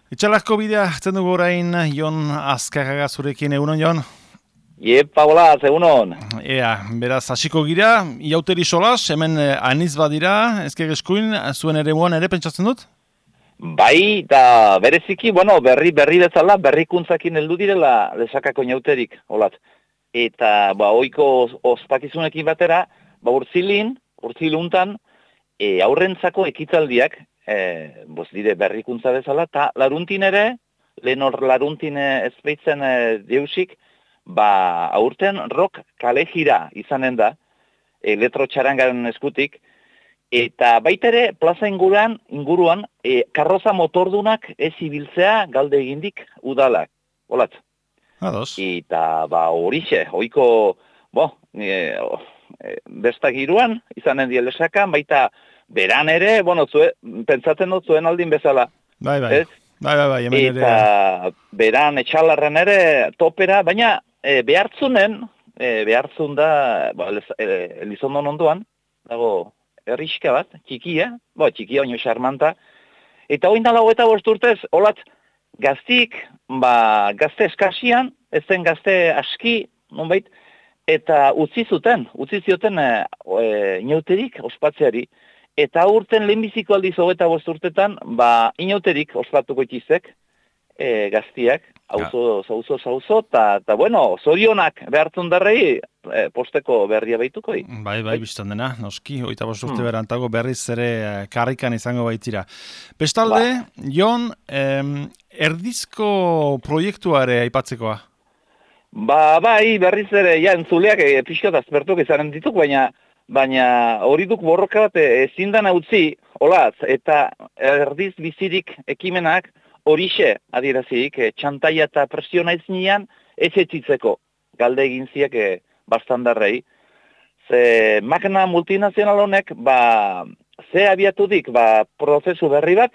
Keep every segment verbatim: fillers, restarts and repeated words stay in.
Itxalazko bidea, zen dugu orain, Jon Azkarraga zurekin, egunon, Jon? Iepa, hola, egunon. Ea, beraz, hasiko gira, iauteri solas, hemen eh, aniz badira, ezker eskuin, zuen ere moan ere pentsatzen dut? Bai, da bereziki, bueno, berri berri bezala, berrikuntzakin heldu direla lesakako inauterik, holat. Eta, ba, oiko ospakizunekin batera, ba, urtzilin, urtziluntan, e, aurrentzako ekitaldiak, e, boz dire berrikuntza bezala, eta laruntin ere, lehen hor laruntin ezpeitzen e, deusik, ba, aurten rock kale jira izanen da, elektrotxarangaren eskutik, eta baita ere, plaza inguruan, inguruan e, karroza motordunak ez ibiltzea galde egindik udalak, holat. Ados. Eta, ba, horixe, oiko, bo, e, e, bestak iruan, izanen die lesakan, baita beran ere, bueno, zue, pentsatzen dut zuen aldin bezala. Bai, bai, ez? bai, bai, bai, hemen ere. Eta beran etxalarren ere topera, baina e, behartzunen, e, behartzun da, ba, e, Elizondon ondoan, dago herriska bat, txikia, bo, txikia, oino xarmanta, eta hoin dala hoeta bost urtez, holat, gaztik, ba, gazte eskasian, ez zen gazte aski, nonbait, eta utzi zuten, utzi zioten e, e, inauterik ospatzeari, eta urten lehenbiziko aldiz hogeita bost urtetan, ba, inauterik ospatuko itizek, e, gaztiak, hauzo, zauzo, zauzo, eta, bueno, zorionak behartzen darrei, e, posteko berria behituko. Bai, bai, biztan dena, noski, hogeita bost urte hmm. berantago berriz ere karrikan izango baitira. Bestalde, ba. Jon, em, erdizko proiektuare aipatzekoa? Ba, bai, berriz ere, ja, entzuleak e, pixkat azpertuk izanen dituk, baina baina hori duk borroka bat ezin dana utzi, olaz, eta erdiz bizirik ekimenak horixe adirazik, e, txantaia eta presiona iznian ez etzitzeko, galde egin ziak e, bastandarrei. Ze magna multinazional honek, ba, ze abiatudik, ba, prozesu berri bat,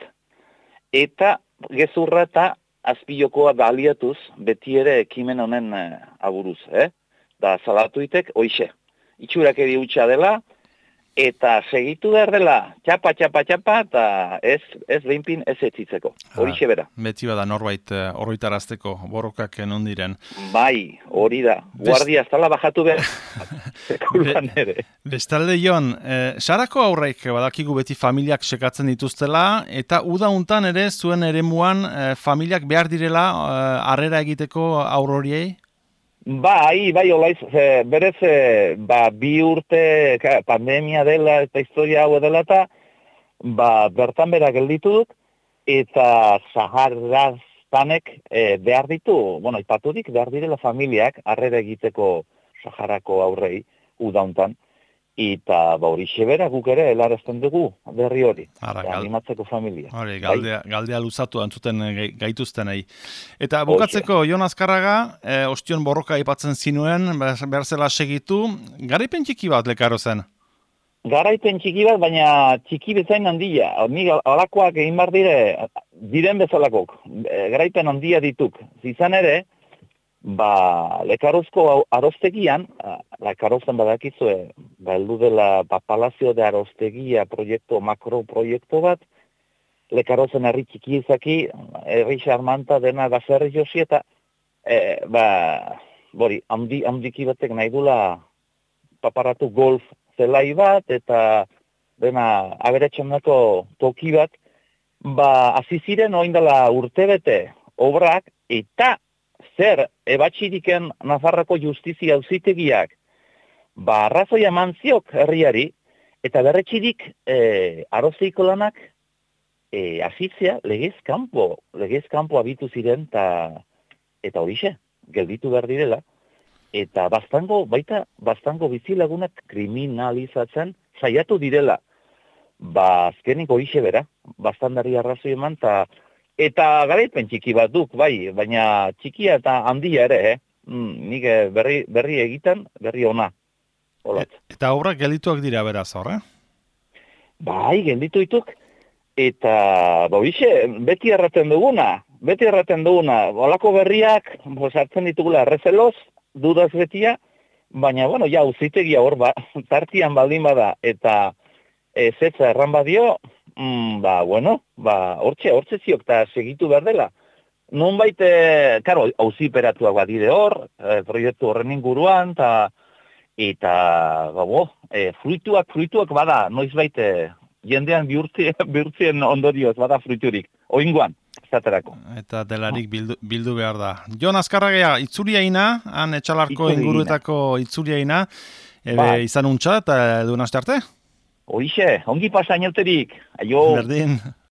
eta gezurra eta azpilokoa baliatuz, beti ere ekimen honen e, aburuz, eh? Da salatuitek, hoixe. Itxurak edi utxa dela, eta segitu behar dela, txapa, txapa, txapa, eta ez, ez behinpin ez etzitzeko. Horixe bera. Beti bada norbait horritarazteko borrokak non diren. Bai, hori da. Guardia ez dala bajatu behar. Sekulan ere. Bestalde, Jon, eh, sarako aurreik badakigu beti familiak sekatzen dituztela, eta uda untan ere zuen eremuan eh, familiak behar direla harrera eh, egiteko aurroriei? Bai, bai, olaiz, e, berez, e, ba, bi urte ka, pandemia dela eta historia hau dela eta, ba, bertan bera gelditu dut, eta saharaztanek e, behar ditu, bueno, ipaturik behar direla familiak harrera egiteko Saharako aurrei udauntan, eta ba, hori xebera guk ere helarazten dugu berri hori, Ara, gal... animatzeko familia. Hori, galdea, galdea luzatu antzuten gaituztenei. Eta bukatzeko, Jon Azkarraga, eh, ostion borroka aipatzen zinuen, behar zela segitu, garaipen txiki bat lekaro zen? Garaipen txiki bat, baina txiki bezain handia. Nik alakoak egin bar dire, diren bezalakok, garaipen handia dituk. Zizan ere, ba, lekarozko arostegian, lekarozan badakizue, ba, heldu dela ba, Palazio de Arostegia proiektu, makroproiektu bat, lekarozen herri txiki izaki, herri xarmanta dena baserri josi, eta e, ba, bori, handi, handiki batek nahi dula paparatu golf zelai bat, eta dena aberatxamnako toki bat, ba, aziziren oindala urtebete obrak, eta zer, ebatxiriken Nafarroko justizia auzitegiak, ba, arrazoia eman ziok herriari, eta berretxirik e, arozeiko lanak e, azitzea legez kanpo, legez kanpo abitu ziren, ta, eta horixe, gelditu behar direla, eta bastango, baita, bastango bizilagunak kriminalizatzen saiatu direla. Ba, azkenik horixe bera, bastandari arrazoi eman, ta, eta garaipen txiki bat duk, bai, baina txikia eta handia ere, eh? Mm, nik berri, berri egiten, berri ona. Et, eta obrak geldituak dira beraz, horre? Bai, gelditu dituk, eta, ba, bixe, beti erraten duguna, beti erraten duguna, olako berriak, sartzen ditugula errezeloz, dudaz betia, baina, bueno, ja, uzitegia hor, ba, tartian baldin bada, eta ez etza erran badio, mm, ba, bueno, ba, hortxe, hortxe ziok, eta segitu behar dela. Nonbait, e, karo, auziperatuak badire hor, e, proiektu horren inguruan, ta, eta, ba, bo, e, fruituak, fruituak bada, noizbait, e, jendean bihurtzien, bihurtzien ondorioz, bada fruiturik, oingoan, esaterako. Eta delarik bildu, bildu behar da. Jon Azkarragea, itzuriaina, han etxalarko Itzuriaina. inguruetako itzuriaina, ebe Bai. izan untxa eta duen aste arte? Horixe, ongi pasa inauterik, aio. Berdin.